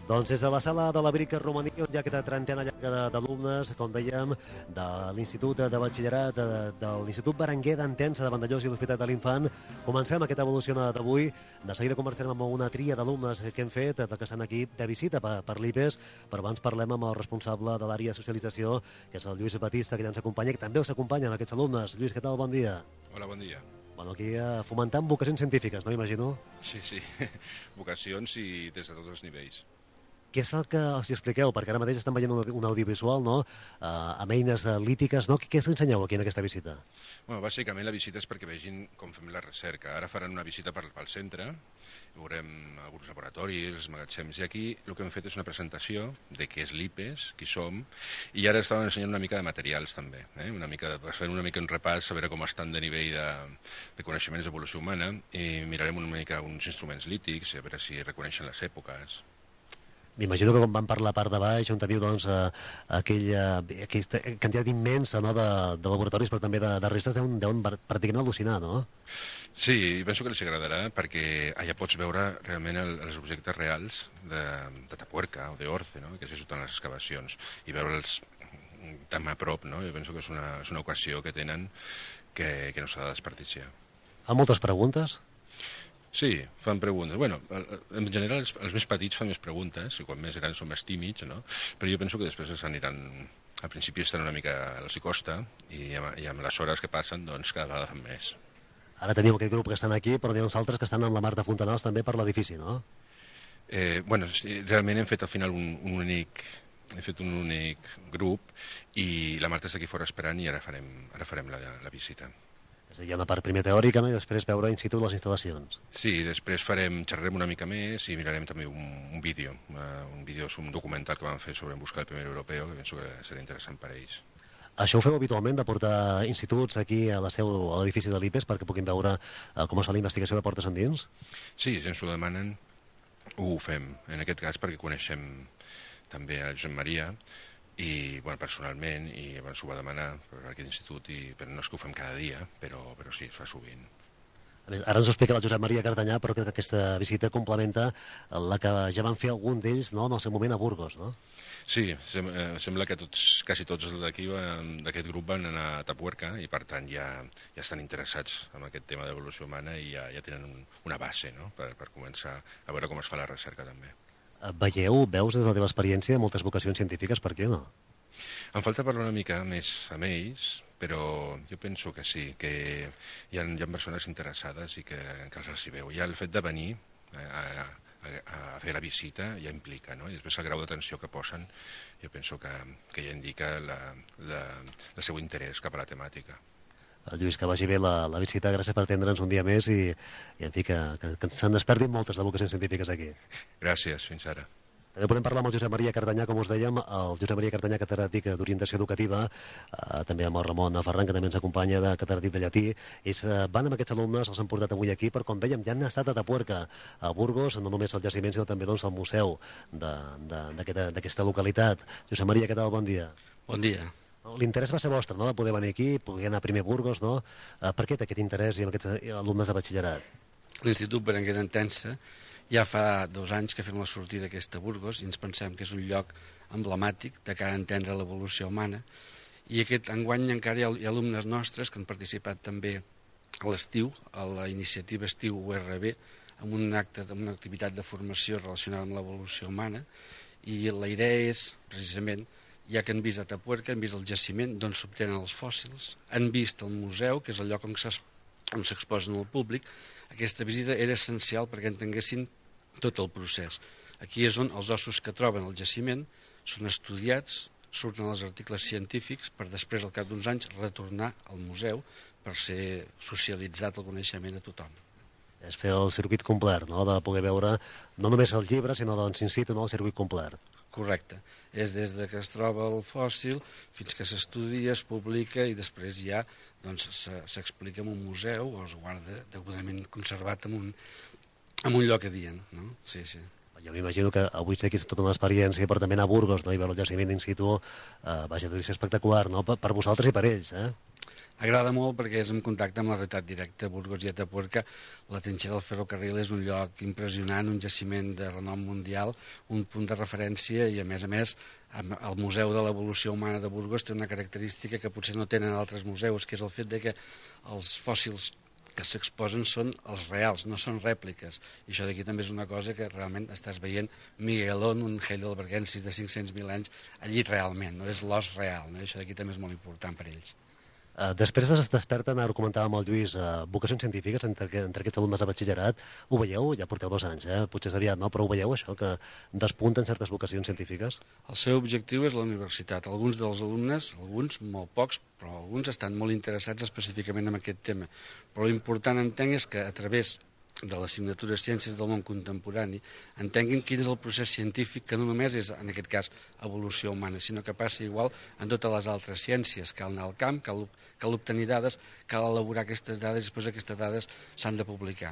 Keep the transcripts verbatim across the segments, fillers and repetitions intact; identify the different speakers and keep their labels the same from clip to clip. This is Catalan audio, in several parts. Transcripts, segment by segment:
Speaker 1: Doncs des de la sala de la Brica Romaní, on hi ha aquesta trentena llarga d'alumnes, com dèiem, de l'Institut de Batxillerat, de, de l'Institut Berenguer d'Entença de Vandellós i l'Hospital de l'Infant, comencem aquesta evolució d'avui. De seguida conversarem amb una tria d'alumnes que hem fet, que estan aquí de visita per, per l'I P E S, però abans parlem amb el responsable de l'àrea de socialització, que és el Lluís Batista, que ja ens acompanya, i que també els acompanya amb aquests alumnes. Lluís, què tal? Bon dia.
Speaker 2: Hola, bon dia.
Speaker 1: Bueno, aquí eh, fomentant vocacions científiques, no imagino?
Speaker 2: Sí, sí, vocacions i des de tots els nivells.
Speaker 1: Què és el que els expliqueu? Perquè ara mateix estan veient un, un audiovisual, no?, uh, amb eines lítiques, no? Què, què ensenyeu aquí en aquesta visita?
Speaker 2: Bueno, bàsicament la visita és perquè vegin com fem la recerca. Ara faran una visita pel, pel centre, veurem alguns laboratoris, els magatzems, i aquí el que hem fet és una presentació de què és l'I P E S, qui som, i ara estaven ensenyant una mica de materials també, eh? una mica, fent una mica un repàs, a veure com estan de nivell de, de coneixements d'evolució humana, i mirarem una mica uns instruments lítics, a veure si reconeixen les èpoques.
Speaker 1: M'imagino que quan van per la part de baix, on teniu doncs, eh, aquella, aquesta quantitat immensa, no?, de, de laboratoris, però també de, de restes, deuen, deuen pràcticament al·lucinar, no?
Speaker 2: Sí, penso que els agradarà perquè allà pots veure realment el, els objectes reals de, de Tapuerca o d'Orce, no?, que s'hi surten les excavacions, i veure'ls tan a prop, no? Jo penso que és una, és una ocasió que tenen que, que no s'ha de desperdiciar.
Speaker 1: Fa moltes preguntes?
Speaker 2: Sí, fan preguntes. Bueno, en general els, els més petits fan més preguntes, i quan més grans són més tímids, no? Però jo penso que després els aniran... Al principi estan una mica... els hi costa, i amb, i amb les hores que passen, doncs cada vegada fan més.
Speaker 1: Ara teniu aquest grup que estan aquí, però n'hi ha uns altres que estan en la Marta Fontanals també per l'edifici, no?
Speaker 2: Eh, bueno, sí, realment hem fet al final un, un únic... He fet un únic grup, i la Marta està aquí fora esperant, i ara farem, ara farem la, la visita.
Speaker 1: És a dir, hi ha una part primer teòrica, no?, i després veure in situ les instal·lacions.
Speaker 2: Sí, després farem, xerrarem una mica més i mirarem també un, un vídeo. Uh, un vídeo, un documental que vam fer sobre en busca del primer europeu, que penso que serà interessant per a ells.
Speaker 1: Això ho feu habitualment, de portar instituts aquí a la seu, a l'edifici de l'I P E S, perquè puguin veure uh, com es fa la investigació de portes endins?
Speaker 2: Sí, si ens ho demanen, ho fem. En aquest cas perquè coneixem també a Josep Maria, i bueno, personalment, i abans ho va demanar per aquest institut, i, però no és que ho fem cada dia, però, però sí, es fa sovint.
Speaker 1: A més, ara ens ho explica la Josep Maria Cartanyà, però crec que aquesta visita complementa la que ja van fer algun d'ells, no?, en el seu moment a Burgos, no?
Speaker 2: Sí, sem eh, sembla que tots, quasi tots d'aquí, d'aquest grup, van anar a Tapuerca, i per tant ja, ja estan interessats en aquest tema d'evolució humana, i ja, ja tenen un, una base, no?, per, per començar a veure com es fa la recerca també.
Speaker 1: Veieu, veus des de la teva experiència moltes vocacions científiques, per què no?
Speaker 2: Em falta parlar una mica més amb ells, però jo penso que sí, que hi ha, hi ha persones interessades i que, que els hi veu. Ja el fet de venir a, a, a fer la visita ja implica, no? I després el grau d'atenció que posen, jo penso que, que ja indica la, la, el seu interès cap a la temàtica.
Speaker 1: Lluís, que vagi bé la, la visita, gràcies per atendre'ns un dia més, i, i en fi, que, que, que se'n despertin moltes de vocacions científiques aquí.
Speaker 2: Gràcies, fins ara.
Speaker 1: També podem parlar amb el Josep Maria Cartanyà, com us dèiem, el Josep Maria Cartanyà, catedràtic d'orientació educativa, eh, també amb el Ramon Ferran, que també ens acompanya, de catedràtic de llatí. Ells eh, van amb aquests alumnes, els han portat avui aquí, però com dèiem, ja han estat a Tapuerca, a Burgos, no només al jaciment, sinó també doncs, al museu d'aquesta localitat. Josep Maria, què tal? Bon dia.
Speaker 3: Bon dia.
Speaker 1: L'interès va ser vostre, no?, de poder venir aquí, poder anar primer a Burgos, no? Eh, per què té aquest interès i amb aquests alumnes de batxillerat?
Speaker 3: L'Institut Berenguer d'Entença ja fa dos anys que fem la sortida d'aquesta Burgos i ens pensem que és un lloc emblemàtic de cara a entendre l'evolució humana, i aquest enguany encara hi ha, hi ha alumnes nostres que han participat també a l'estiu, a la iniciativa Estiu U R B, en un acte, en una activitat de formació relacionada amb l'evolució humana, i la idea és, precisament, ja que han vist a Tapuerca, han vist el jaciment d'on s'obtenen els fòssils, han vist el museu, que és el lloc on s'exposen al públic. Aquesta visita era essencial perquè entenguessin tot el procés. Aquí és on els ossos que troben al jaciment són estudiats, surten els articles científics per després, al cap d'uns anys, retornar al museu per ser socialitzat el coneixement a tothom.
Speaker 1: És fer el circuit complet, no?, de poder veure no només el llibre, sinó doncs in situ, no?, el circuit complet.
Speaker 3: Correcte. És des de que es troba el fòssil fins que s'estudia, es publica i després ja doncs, s'explica en un museu o es guarda degudament conservat en un, en un lloc adient. No? Sí, sí.
Speaker 1: Jo m'imagino que avui sé que és tota una experiència, però també anar a Burgos, no?, i veure el jaciment in situ, eh, vaja, deu ser espectacular, no?, per, per vosaltres i per ells, eh?
Speaker 3: Agrada molt perquè és en contacte amb la realitat directa. Burgos i Atapuerca, la trinxera del ferrocarril és un lloc impressionant, un jaciment de renom mundial, un punt de referència i, a més a més, el Museu de l'Evolució Humana de Burgos té una característica que potser no tenen altres museus, que és el fet de que els fòssils que s'exposen són els reals, no són rèpliques. I això d'aquí també és una cosa que realment estàs veient Miguelón, un heidelbergensis de cinc-cents mil anys, allí realment, no és l'os real. No? Això d'aquí també és molt important per ells.
Speaker 1: Uh, després es desperten, ara ho comentàvem amb el Lluís, uh, vocacions científiques entre, entre aquests alumnes de batxillerat. Ho veieu? Ja porteu dos anys, eh? Potser és aviat, no? Però ho veieu, això, que despunten certes vocacions científiques?
Speaker 3: El seu objectiu és la universitat. Alguns dels alumnes, alguns, molt pocs, però alguns estan molt interessats específicament en aquest tema. Però l'important, entenc, és que a través de l'assignatura Ciències del Món Contemporani entenguin quin és el procés científic, que no només és, en aquest cas, evolució humana, sinó que passa igual en totes les altres ciències. Cal anar al camp, cal, cal obtenir dades, cal elaborar aquestes dades i després aquestes dades s'han de publicar.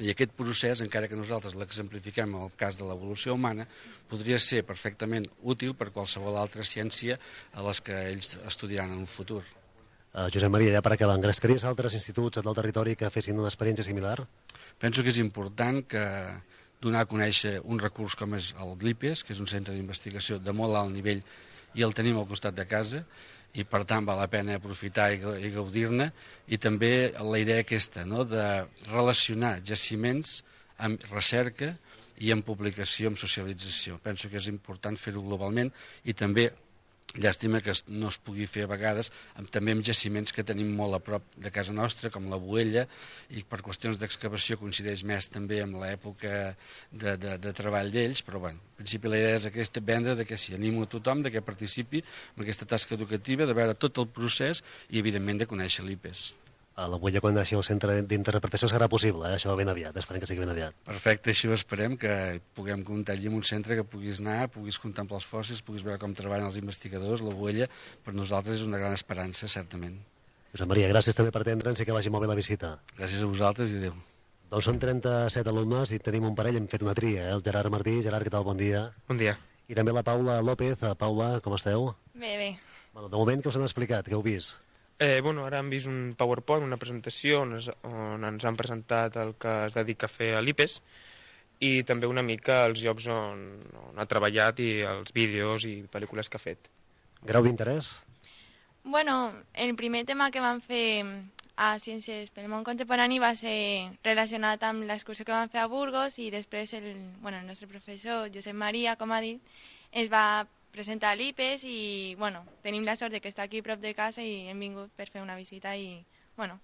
Speaker 3: I aquest procés, encara que nosaltres l'exemplifiquem en el cas de l'evolució humana, podria ser perfectament útil per qualsevol altra ciència a les que ells estudiaran en un futur.
Speaker 1: Uh, Josep Maria, ja per acabar, engrescaries altres instituts del territori que fessin una experiència similar?
Speaker 3: Penso que és important que donar a conèixer un recurs com és el l'IPES, que és un centre d'investigació de molt alt nivell i el tenim al costat de casa, i per tant val la pena aprofitar i gaudir-ne, i també la idea aquesta, no?, de relacionar jaciments amb recerca i amb publicació, amb socialització. Penso que és important fer-ho globalment i també llàstima que no es pugui fer a vegades amb, també amb jaciments que tenim molt a prop de casa nostra, com la Boella, i per qüestions d'excavació coincideix més també amb l'època de, de, de treball d'ells, però bueno, en principi la idea és aquesta, vendre de que sí, animo a tothom de que participi en aquesta tasca educativa, de veure tot el procés i evidentment de conèixer l'IPES.
Speaker 1: A la Boella, quan naixi el centre d'interpretació, serà possible, eh? Això ben aviat, esperem que sigui ben aviat.
Speaker 3: Perfecte, així ho esperem, que puguem comptar allí en un centre que puguis anar, puguis contemplar els fòssils, puguis veure com treballen els investigadors, la Boella, per nosaltres és una gran esperança, certament.
Speaker 1: Josep Maria, gràcies també per atendre'ns i que vagi molt bé la visita.
Speaker 3: Gràcies a vosaltres i adéu.
Speaker 1: Doncs són trenta-set alumnes i tenim un parell, hem fet una tria, eh? El Gerard Martí. Gerard, què tal? Bon dia.
Speaker 4: Bon dia.
Speaker 1: I també la Paula López. Paula, com esteu?
Speaker 5: Bé, bé.
Speaker 1: Bueno, de moment, què us han explicat? Què heu vist?
Speaker 4: Eh, bueno, ara hem vist un PowerPoint, una presentació on, es, on ens han presentat el que es dedica a fer a l'IPES i també una mica els llocs on, on ha treballat i els vídeos i pel·lícules que ha fet.
Speaker 1: Grau d'interès?
Speaker 5: Bueno, el primer tema que vam fer a Ciències pel Món Contemporani va ser relacionat amb l'excursió que vam fer a Burgos i després el, bueno, el nostre professor, Josep Maria, com ha dit, es va presentar l'IPES i, bueno, tenim la sort de que està aquí a prop de casa i hem vingut per fer una visita i, bueno,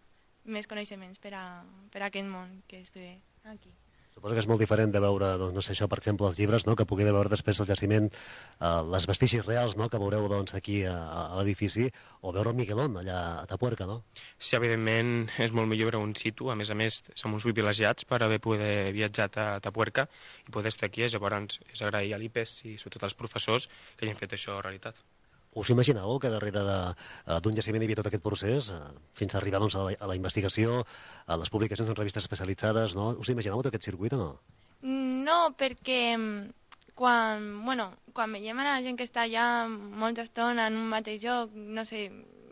Speaker 5: més coneixements per a, per a aquest món que estudie aquí.
Speaker 1: Suposo que és molt diferent de veure, doncs, no sé això, per exemple, els llibres, no?, que pugueu veure després el jaciment, eh, les vestigis reals, no?, que veureu, doncs, aquí a, a l'edifici, o veure el Miguelón, allà a Atapuerca, no?
Speaker 4: Sí, evidentment és molt millor veure un situ, a més a més som uns privilegiats per haver poder viatjar a Atapuerca i poder estar aquí, llavors és agrair a l'IPES i sobretot als professors que hagin fet això realitat.
Speaker 1: Us imaginàveu que darrere d'un jaciment hi havia tot aquest procés, eh, fins a arribar, doncs, a la, a la investigació, a les publicacions en revistes especialitzades, no? Us imaginàveu tot aquest circuit o no?
Speaker 5: No, perquè quan, bueno, quan veiem a la gent que està allà molta estona en un mateix lloc, no sé,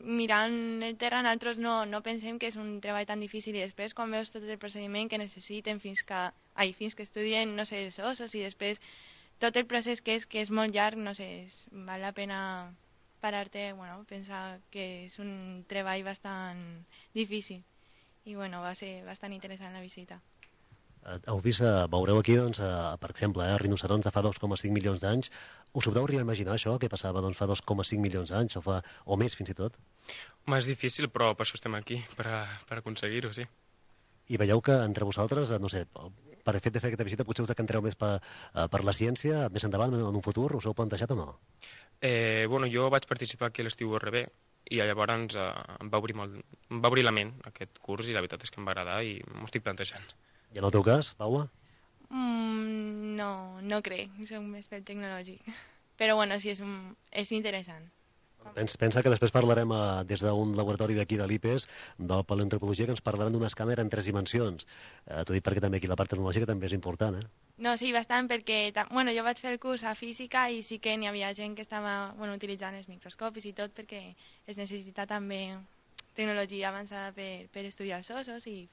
Speaker 5: mirant el terra, nosaltres no, no pensem que és un treball tan difícil i després quan veus tot el procediment que necessiten fins que, ai, fins que estudien, no sé, els ossos i després tot el procés que és, que és molt llarg, no sé, és, val la pena parar-te, bueno, pensar que és un treball bastant difícil i, bueno, va ser bastant interessant la visita.
Speaker 1: Heu vist, eh, veureu aquí, doncs, eh, per exemple, eh, rinocerons de fa dos coma cinc milions d'anys. Us ho podeu arribar a imaginar, això, que passava, doncs, fa dos coma cinc milions d'anys, o, fa, o més, fins i tot?
Speaker 4: Home, és difícil, però per això estem aquí, per, a, per aconseguir-ho, sí.
Speaker 1: I veieu que entre vosaltres, no sé, per fet de fer aquesta visita, potser us decantareu més per, per la ciència, més endavant, en un futur, us ho heu plantejat o no?
Speaker 4: Eh, bueno, jo vaig participar aquí a l'estiu U R B i llavors eh, em, va obrir molt, em va obrir la ment aquest curs i la veritat és que em va agradar i m'ho estic plantejant.
Speaker 1: I en el teu cas, Paula?
Speaker 5: Mm, no, no crec, soc més pel tecnològic. Però bueno, sí, és, un, és interessant.
Speaker 1: Pensa, pensa que després parlarem eh, des d'un laboratori d'aquí de l'IPES, de paleoantropologia, que ens parlaran d'un escàner en tres dimensions. Eh, T'ho dic perquè també aquí la part tecnològica també és important, eh?
Speaker 5: No, sí, bastant, perquè bueno, jo vaig fer el curs a física i sí que n'hi havia gent que estava, bueno, utilitzant els microscopis i tot perquè es necessita també tecnologia avançada per, per estudiar els ossos i